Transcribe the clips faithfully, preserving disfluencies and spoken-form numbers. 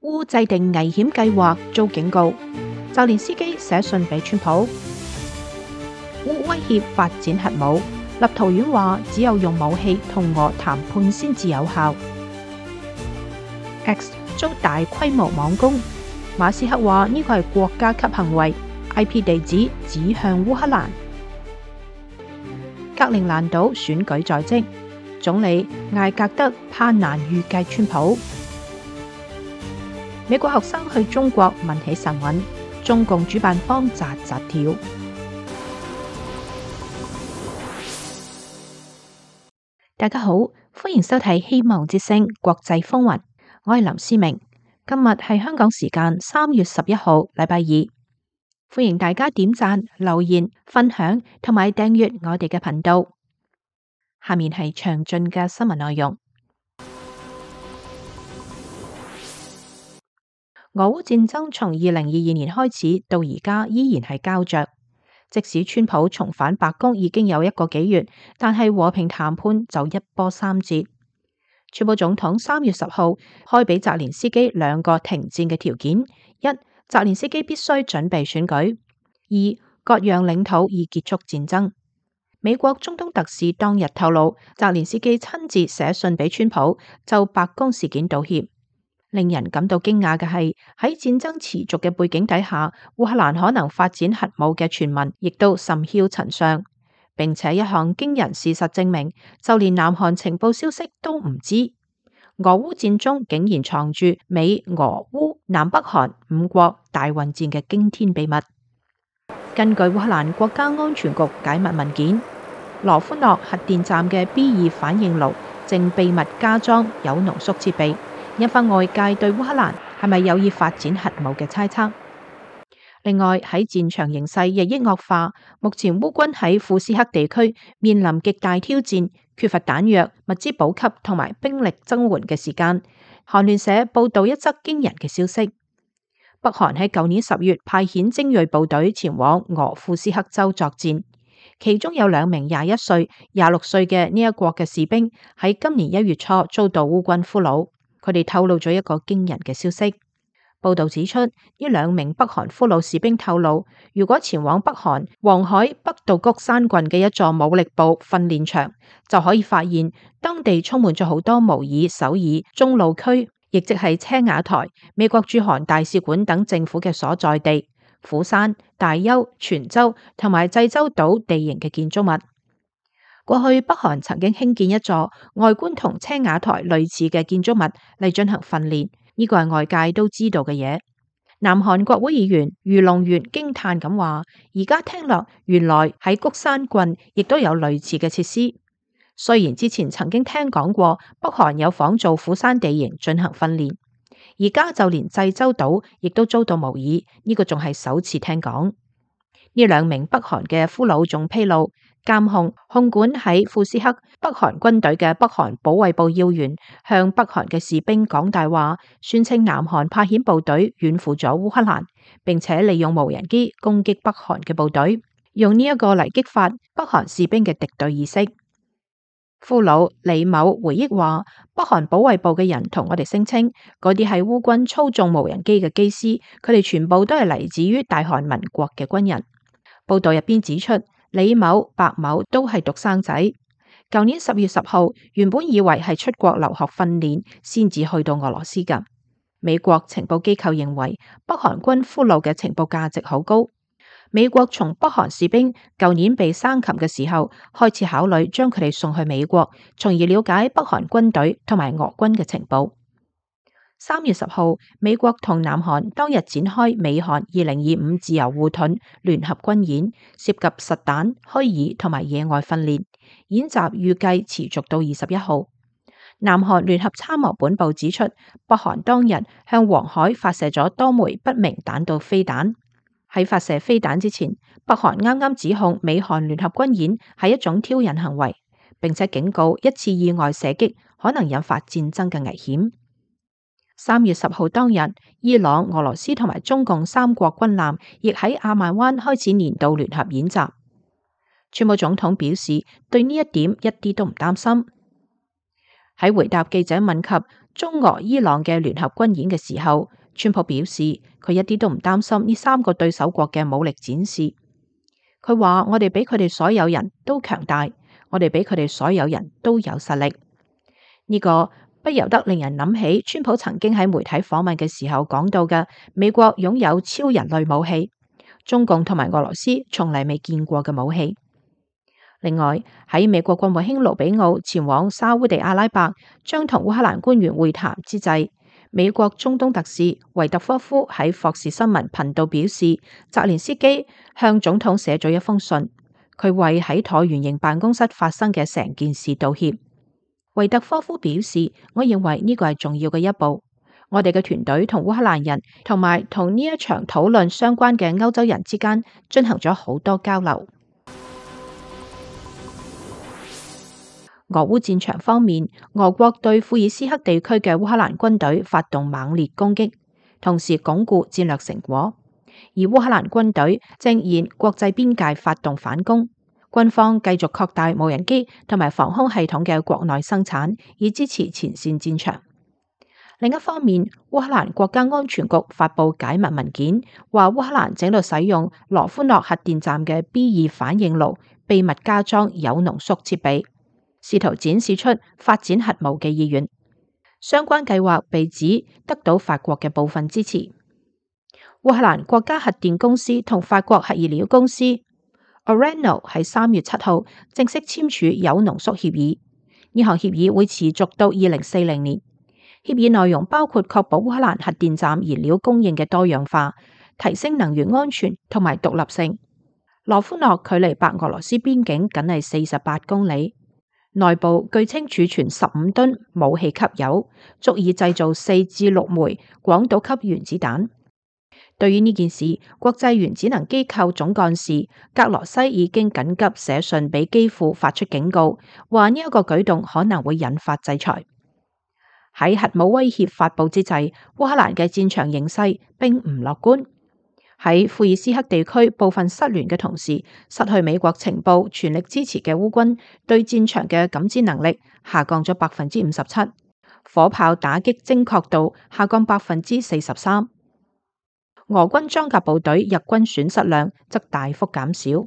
烏制定危險計劃遭警告，澤連斯基寫信俾川普，烏威脅發展核武，立陶宛話只有用武器同俄談判先至有效。X 遭大規模網攻，馬斯克話呢個係國家級行為 ，I P 地址指向烏克蘭。格陵蘭島選舉在即，總理艾格德怕難預計川普。美國學生去中國問起神韻，中共主辦方扎扎跳。大家好，歡迎收睇《希望之聲》國際風雲，我係林思明。今日係香港時間三月十一號，禮拜二。歡迎大家點讚、留言、分享同埋訂閱我哋嘅頻道。下面係詳盡嘅新聞內容。俄烏戰爭從二零二二年開始到而家依然係膠着，即使川普重返白宮已經有一個幾月，但係和平談判就一波三折。川普總統三月十號開俾澤連斯基兩個停戰嘅條件：一、澤連斯基必須準備選舉；二、割讓領土以結束戰爭。美國中東特使當日透露，澤連斯基親自寫信俾川普就白宮事件道歉。令人感到驚訝嘅係，喺戰爭持續嘅背景底下，烏克蘭可能發展核武嘅傳聞亦都甚囂塵上，並且一項驚人事實證明，就連南韓情報消息都唔知，俄烏戰中竟然藏住美、俄、烏、南北韓五國大混戰嘅驚天秘密。根據烏克蘭國家安全局解密文件，羅夫諾核電站嘅 B 二反應爐正秘密加裝有濃縮設備，引發外界對烏克蘭係咪有意發展核武嘅猜測。另外喺戰場形勢日益惡化，目前烏軍喺庫斯克地區面臨極大挑戰，缺乏彈藥、物資補給同埋兵力增援嘅時間。韓聯社報道一則驚人嘅消息：北韓喺舊年十月派遣精銳部隊前往俄庫斯克州作戰，其中有兩名廿一歲、廿六歲嘅呢一國嘅士兵喺今年一月初遭到烏軍俘虜。佢哋透露咗一個驚人嘅消息。報道指出，呢兩名北韓俘虜士兵透露，如果前往北韓黃海北道谷山郡嘅一座武力部訓練場，就可以發現當地充滿咗好多模擬首爾中路區，亦即係青瓦台、美國駐韓大使館等政府嘅所在地、釜山、大邱、全州同埋濟州島地形嘅建築物。過去北韓曾經興建一座外觀同青瓦台類似嘅建築物嚟進行訓練，呢個係外界都知道嘅嘢。南韓國會議員余龍元驚嘆咁話：而家聽落，原來喺谷山郡亦都有類似嘅設施。雖然之前曾經聽講過北韓有仿造釜山地形進行訓練，而家就連濟州島亦都遭到模擬，呢個仲係首次聽講。呢兩名北韓嘅俘虜仲披露，監控控管喺庫斯克北韓軍隊嘅北韓保衛部要員向北韓嘅士兵講大話，宣稱南韓派遣部隊遠赴咗烏克蘭，並且利用無人機攻擊北韓嘅部隊，用呢一個嚟激發北韓士兵嘅敵對意識。俘虜李某回憶話，北韓保衛部嘅人同我哋聲稱，嗰啲係烏軍操縱無人機嘅機師，佢哋全部都係嚟自於大韓民國嘅軍人。報道入邊指出，李某、白某都係獨生仔。舊年十月十號，原本以為係出國留學訓練先至去到俄羅斯㗎。美國情報機構認為，北韓軍俘虜嘅情報價值好高。美國從北韓士兵舊年被生擒嘅時候開始考慮將佢哋送去美國，從而了解北韓軍隊同埋俄軍嘅情報。三月十號，美國同南韓當日展開美韓二零二五自由護盾聯合軍演，涉及實彈、虛擬同埋野外訓練。演習預計持續到二十一號。南韓聯合參謀本部指出，北韓當日向黃海發射咗多枚不明彈道飛彈。喺發射飛彈之前，北韓啱啱指控美韓聯合軍演係一種挑釁行為，並且警告一次意外射擊可能引發戰爭嘅危險。三月十號當日，伊朗、俄羅斯同埋中共三國軍艦亦喺阿曼灣開始年度聯合演習。川普總統表示對呢一點一啲都唔擔心。喺回答記者問及中俄伊朗嘅聯合軍演嘅時候，川普表示佢一啲都唔擔心呢三個對手國嘅武力展示。佢話：我哋比佢哋所有人都強大，我哋比佢哋所有人都有實力。呢個不由得令人諗起川普曾經喺媒體訪問嘅時候講到嘅美國擁有超人類武器，中共同埋俄羅斯從嚟未見過嘅武器。另外喺美國國務卿盧比奧前往沙烏地阿拉伯將同烏克蘭官員會談之際，美國中東特使維特科夫喺霍士新聞頻道表示，澤連斯基向總統寫咗一封信，佢為喺橢圓形辦公室發生嘅成件事道歉。維特科夫表示，我認為呢個係重要嘅一步。我哋嘅團隊同烏克蘭人同埋同呢一場討論相關嘅歐洲人之間進行咗好多交流。俄烏戰場方面，俄國對庫爾斯克地區嘅烏克蘭軍隊發動猛烈攻擊，同時鞏固戰略成果。而烏克蘭軍隊正沿國際邊界發動反攻。軍方繼續擴大無人機同埋防空系統嘅國內生產，以支持前線戰場。另一方面，烏克蘭國家安全局發布解密文件，話烏克蘭正喺度使用羅夫諾核電站嘅 B 二反應爐秘密加裝鈾濃縮設備，試圖展示出發展核武嘅意願。相關計劃被指得到法國嘅部分支持。烏克蘭國家核電公司同法國核燃料公司Orano 喺三月七號正式簽署鈾濃縮協議，呢項協議會持續到二零四零年。協議內容包括確保烏克蘭核電站燃料供應嘅多樣化，提升能源安全同埋獨立性。羅夫諾距離白俄羅斯邊境僅係四十八公里，內部據稱儲存十五噸武器級鈾，足以製造四至六枚廣島級原子彈。對於呢件事，國際原子能機構總幹事格羅西已經緊急寫信俾基輔發出警告，話呢一個舉動可能會引發制裁。喺核武威脅發布之際，烏克蘭嘅戰場形勢並唔樂觀。喺庫爾斯克地區部分失聯嘅同時，失去美國情報全力支持嘅烏軍對戰場嘅感知能力下降咗百分之五十七，火炮打擊精確度下降百分之四十三。俄軍裝甲部隊日軍損失量則大幅減少。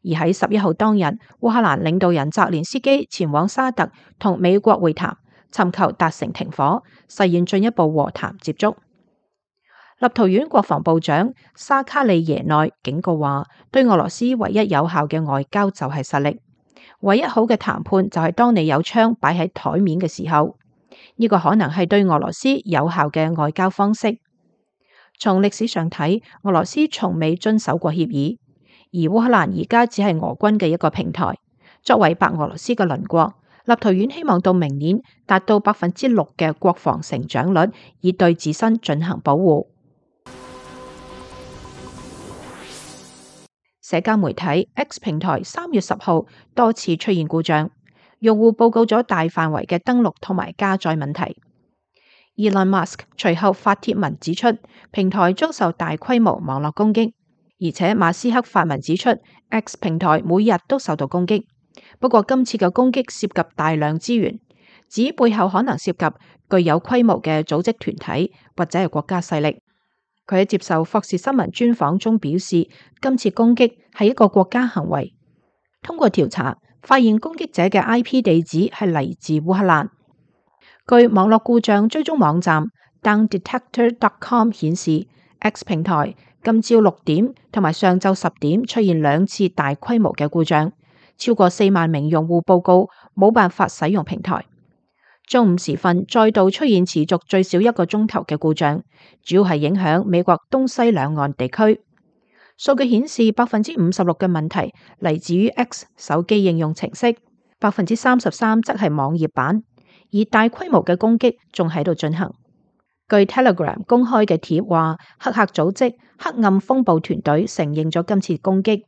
而喺十一號當日，烏克蘭領導人澤連斯基前往沙特同美國會談，尋求達成停火，實現進一步和談接觸。立陶宛國防部長沙卡利耶內警告話，對俄羅斯唯一有效嘅外交就係實力，唯一好嘅談判就係當你有槍擺喺台面嘅時候，呢、這個可能係對俄羅斯有效嘅外交方式。從歷史上睇，俄羅斯從未遵守過協議，而烏克蘭而家只係俄軍嘅一個平台。作為白俄羅斯嘅鄰國，立陶宛希望到明年達到百分之六嘅國防成長率，以對自身進行保護。社交媒體 X 平台三月十號多次出現故障，用戶報告咗大範圍嘅登錄同埋加載問題。Elon Musk 隨後發帖文指出，平台遭受大規模網絡攻擊，而且馬斯克發文指出 X 平台每日都受到攻擊。不過今次嘅攻擊涉及大量資源，指背後可能涉及具有規模嘅組織團體或者係國家勢力。佢喺接受霍士新聞專訪中表示，今次攻擊係一個國家行為。通過調查，發現攻擊者嘅 I P 地址係嚟自烏克蘭。據網絡故障追蹤網站 downdetector dot com 顯示 ，X 平台今朝六點同埋上晝十點出現兩次大規模嘅故障，超過四萬名用戶報告冇辦法使用平台。中午時分再度出現持續最少一個鐘頭嘅故障，主要係影響美國東西兩岸地區。數據顯示百分之五十六嘅問題嚟自於 X 手機應用程式，百分之三十三則係網頁版。而大規模嘅攻擊仲喺度進行。據 Telegram 公開嘅帖話，黑客組織黑暗風暴團隊承認咗今次攻擊。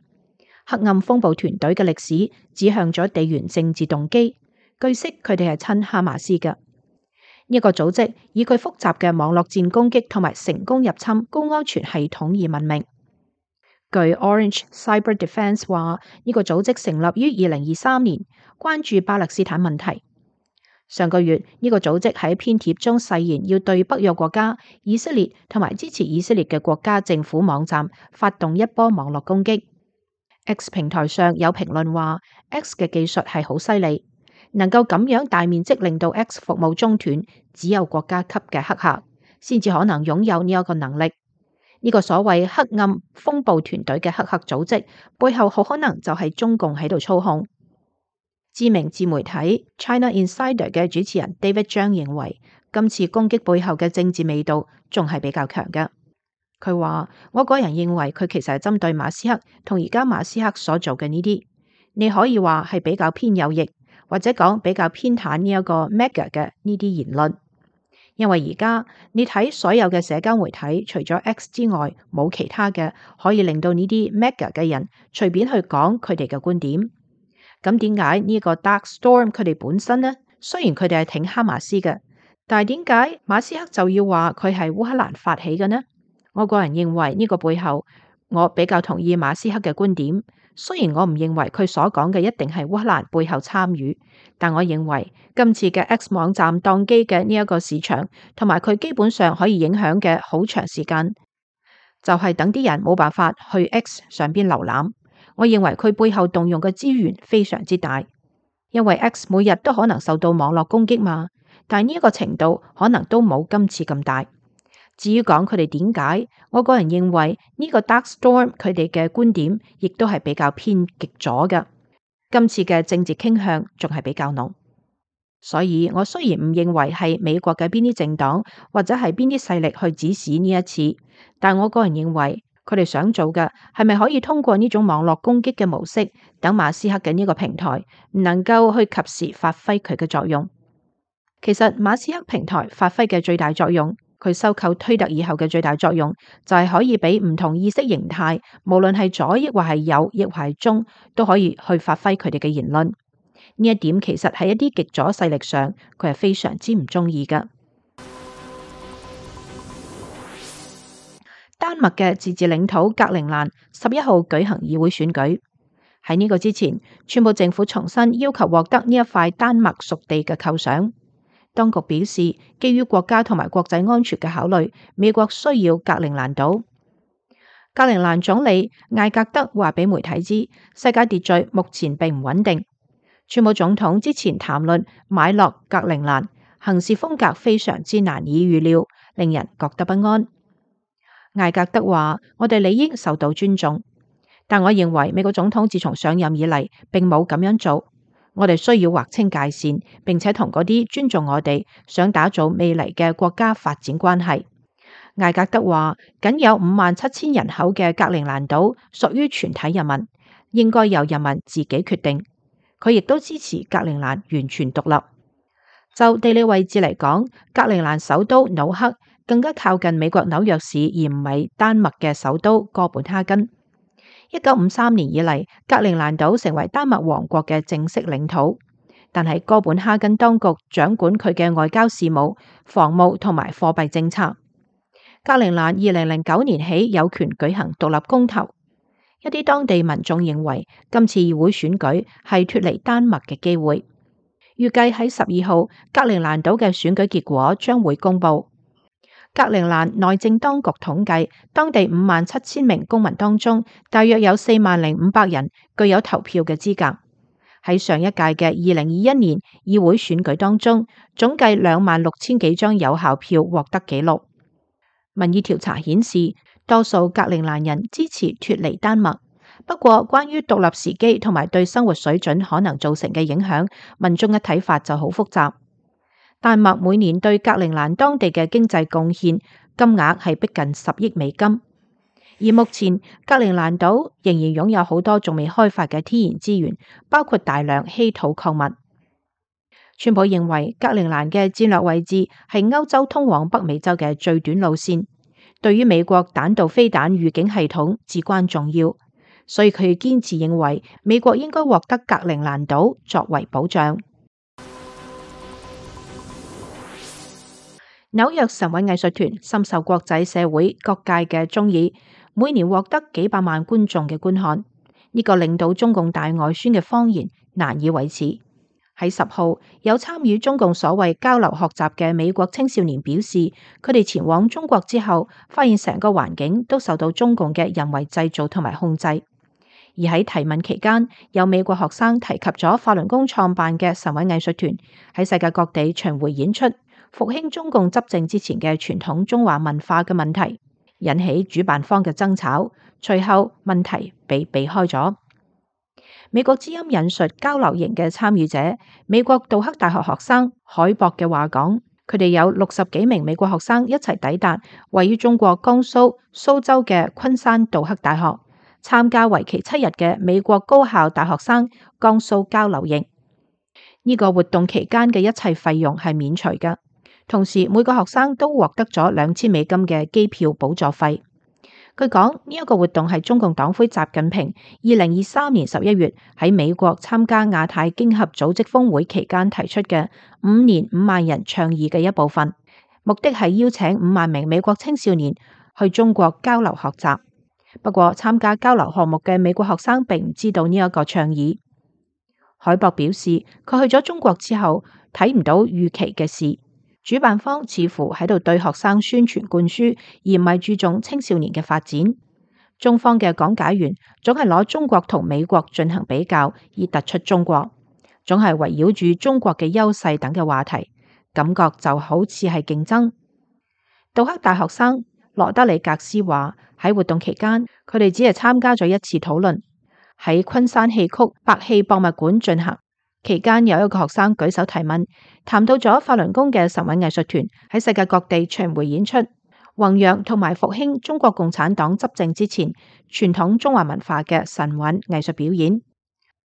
黑暗風暴團隊嘅歷史指向咗地緣政治動機，據悉佢哋係親哈馬斯嘅。呢個組織以佢複雜嘅網絡戰攻擊同埋成功入侵高安全系統而聞名。據 Orange Cyber Defense 話，呢個組織成立於二零二三年，關注巴勒斯坦問題。上個月呢個組織喺篇帖中誓言要對北約國家、以色列同埋支持以色列嘅國家政府網站發動一波網絡攻擊。X 平台上有評論話 X 嘅技術係好犀利，能夠咁樣大面積令到 X 服務中斷，只有國家級嘅黑客先至可能擁有呢一個能力。呢個所謂黑暗風暴團隊嘅黑客組織背後好可能就係中共喺度操控。知名自媒體 China Insider 嘅主持人 David Zhang 認為，今次攻擊背後嘅政治味道仲係比較強嘅。佢話：我個人認為佢其實係針對馬斯克同而家馬斯克所做嘅呢啲，你可以話係比較偏右翼，或者講比較偏袒呢一個 Mega 嘅呢啲言論。因為而家你睇所有嘅社交媒體，除咗 X 之外，冇其他嘅可以令到呢啲 Mega 嘅人隨便去講佢哋嘅觀點。咁點解呢個 Dark Storm 佢哋本身呢？雖然佢哋係挺哈馬斯嘅，但係點解馬斯克就要話佢係烏克蘭發起嘅呢？我個人認為呢個背後，我比較同意馬斯克嘅觀點。雖然我唔認為佢所講嘅一定係烏克蘭背後參與，但我認為今次嘅 X 網站宕機嘅呢一個市場，同埋佢基本上可以影響嘅好長時間，就係等啲人冇辦法去 X 上邊瀏覽。我認為佢背後動用嘅資源非常之大，因為 X 每日都可能受到網絡攻擊嘛，但係呢一個程度可能都冇今次咁大。至於講佢哋點解，我個人認為呢個 Dark Storm 佢哋嘅觀點亦都係比較偏極左嘅，今次嘅政治傾向仲係比較濃。所以我雖然唔認為係美國嘅邊啲政黨或者係邊啲勢力去指使呢一次，但我個人認為佢哋想做嘅係咪可以通過呢種網絡攻擊嘅模式，等馬斯克嘅呢個平台唔能夠去及時發揮佢嘅作用。其實馬斯克平台發揮嘅最大作用，佢收購推特以後嘅最大作用就係可以俾唔同意識形態，無論係左抑或係右抑或係中，都可以去發揮佢哋嘅言論。呢一點其實喺一啲極左勢力上，佢係非常之唔中意㗎。丹麥嘅自治領土格陵蘭十一號舉行議會選舉。喺呢個之前，川普政府重新要求獲得呢一塊丹麥屬地嘅構想。當局表示，基於國家同埋國際安全嘅考慮，美國需要格陵蘭島。格陵蘭總理艾格德話俾媒體知，世界秩序目前並唔穩定。川普總統之前談論買落格陵蘭，行事風格非常之難以預料，令人覺得不安。艾格德話：我哋理應受到尊重，但我認為美國總統自從上任以嚟，並冇咁樣做。我哋需要劃清界線，並且同嗰啲尊重我哋、想打造未來嘅國家發展關係。艾格德話：僅有五萬七千人口嘅格陵蘭島屬於全體人民，應該由人民自己決定。佢亦都支持格陵蘭完全獨立。就地理位置嚟講，格陵蘭首都紐克更加靠近美國紐約市，而唔係丹麥嘅首都哥本哈根。一九五三年以嚟，格陵蘭島成為丹麥王國嘅正式領土，但係哥本哈根當局掌管佢嘅外交事務、防務同埋貨幣政策。格陵蘭二零零九年起有權舉行獨立公投。一啲當地民眾認為今次議會選舉係脫離丹麥嘅機會。預計喺十二號，格陵蘭島嘅選舉結果將會公布。格陵蘭內政當局統計，當地五萬七千名公民當中，大約有四萬零五百人具有投票嘅資格。喺上一屆嘅二零二一年議會選舉當中，總計兩萬六千幾張有效票獲得記錄。民意調查顯示，多數格陵蘭人支持脫離丹麥。不過，關於獨立時機同埋對生活水準可能造成嘅影響，民眾嘅睇法就好複雜。丹麥每年對格陵蘭當地嘅經濟貢獻金額係逼近十億美金，而目前格陵蘭島仍然擁有好多仲未開發嘅天然資源，包括大量稀土礦物。川普認為格陵蘭嘅戰略位置係歐洲通往北美洲嘅最短路線，對於美國彈道飛彈預警系統至關重要，所以佢堅持認為美國應該獲得格陵蘭島作為保障。紐約神韻藝術團深受國際社會各界嘅鍾意，每年獲得幾百萬觀眾嘅觀看。呢、這個令到中共大外宣嘅謊言難以維持。喺十號，有參與中共所謂交流學習嘅美國青少年表示，佢哋前往中國之後，發現成個環境都受到中共嘅人為製造同埋控制。而喺提問期間，有美國學生提及咗法輪功創辦嘅神韻藝術團喺世界各地巡迴演出，復興中共執政之前嘅傳統中華文化嘅問題，引起主辦方嘅爭吵。隨後問題被避開咗。美國之音引述交流營嘅參與者，美國杜克大學學生海博嘅話講，佢哋有六十幾名美國學生一齊抵達位於中國江蘇蘇州嘅昆山杜克大學，參加為期七日嘅美國高校大學生江蘇交流營。呢個活動期間嘅一切費用係免除嘅，同時每個學生都獲得咗兩千美金嘅機票補助費。據講，呢一個活動係中共黨魁習近平二零二三年十一月喺美國參加亞太經合組織峰會期間提出嘅五年五萬人倡議嘅一部分，目的係邀請五萬名美國青少年去中國交流學習。不過，參加交流項目嘅美國學生並唔知道呢一個倡議。海博表示，佢去咗中國之後睇唔到預期嘅事。主辦方似乎喺度對學生宣傳灌輸，而唔係注重青少年嘅發展。中方嘅講解員總係攞中國同美國進行比較，以突出中國，總係圍繞住中國嘅優勢等嘅話題，感覺就好似係競爭。杜克大學生羅德里格斯話，喺活動期間，佢哋只係參加咗一次討論，喺昆山戲曲白戲博物館進行。期間有一個學生舉手提問，談到咗法輪功嘅神韻藝術團喺世界各地巡迴演出，弘揚同埋復興中國共產黨執政之前傳統中華文化嘅神韻藝術表演。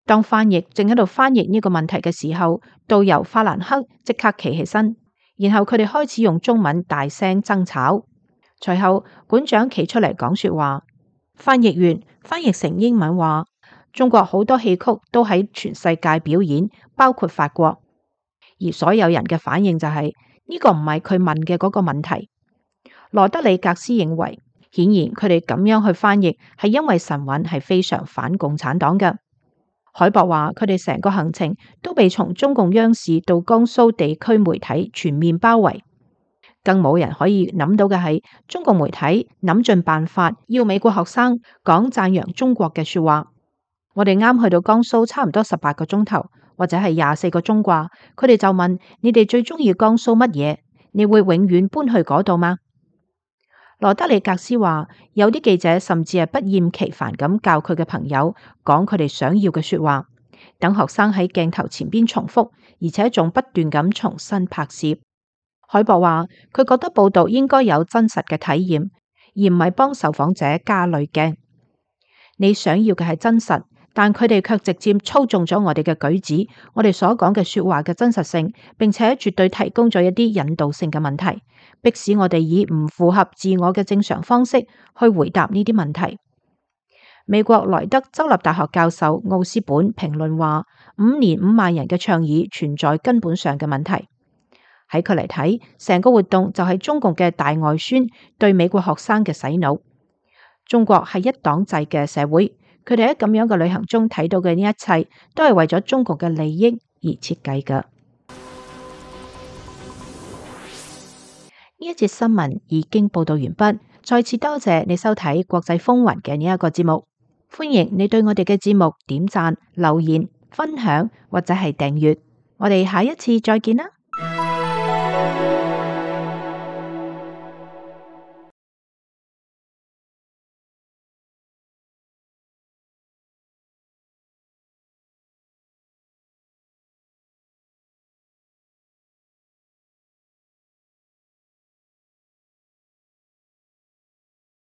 當翻譯正喺度翻譯呢個問題嘅時候，導遊法蘭克即刻企起身，然後佢哋開始用中文大聲爭吵。隨後館長企出嚟講說話，翻譯員翻譯成英文話，中國好多戲曲都喺全世界表演，包括法國。而所有人嘅反應就係，呢個唔係佢問嘅嗰個問題。羅德里格斯認為，顯然佢哋咁樣去翻譯係因為神韻係非常反共產黨嘅。海博話，佢哋成個行程都被從中共央視到江蘇地區媒體全面包圍，更冇人可以諗到嘅係，中共媒體諗盡辦法要美國學生講讚揚中國嘅說話。我哋啱去到江蘇差唔多十八個鐘頭，或者係廿四個鐘啩。佢哋就問，你哋最中意江蘇乜嘢？你會永遠搬去嗰度嗎？羅德里格斯話，有啲記者甚至係不厭其煩咁教佢嘅朋友講佢哋想要嘅說話，等學生喺鏡頭前邊重複，而且仲不斷咁重新拍攝。海博話，佢覺得報道應該有真實嘅體驗，而唔係幫受訪者加濾鏡。你想要嘅係真實，但佢哋卻直接操縱咗我哋嘅舉止，我哋所講嘅說話嘅真實性，並且絕對提供咗一啲引導性嘅問題，迫使我哋以唔符合自我嘅正常方式去回答呢啲問題。美國萊德州立大學教授奧斯本評論話，五年五萬人嘅倡議存在根本上嘅問題。喺佢嚟睇，成個活動就係中共嘅大外宣對美國學生嘅洗腦。中國係一黨制嘅社會，佢哋喺咁樣嘅旅行中睇到嘅呢一切，都係為咗中國嘅利益而設計嘅。呢一節新聞已經報道完畢，再次多謝你收睇國際風雲嘅呢一個節目，歡迎你對我哋嘅節目點讚、留言、分享或者係訂閱，我哋下一次再見啦。